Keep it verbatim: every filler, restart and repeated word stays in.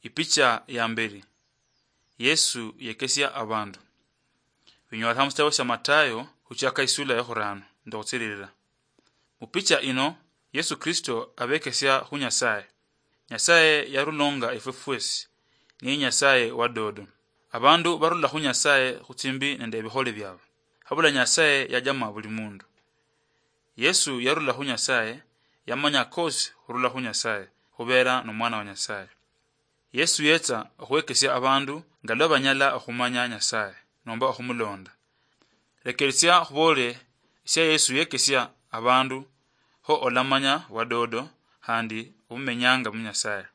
Ipicha ya mberi. Yesu yekesia abandu. Binyolekha mu sitabo sia Matayo, khuchaka isula ya khurano nende khutsililila. Mu picha ino, Yesu Kristo abekesia khu Nyasaye. Nyasaye yarulonga efwe fwesi, niye Nyasaye wa dodo. Abandu barula khu Nyasaye khutsimbi nende ebikhole biabwe. Habula Nyasaye yajama buli mundu. Yesu yarula khu Nyasaye, yamanya kosi khurula khu Nyasaye, khubera nomwana wa Nyasaye. Yesu yetsa okhwekesia abandu nga lwa banyala okhumanya Nyasaye nomba okhumulonda. Lekeresia khuboole sia Yesu yekesia abandu, kho olamanya wadodo khandi obumenyanga mu Nyasaye.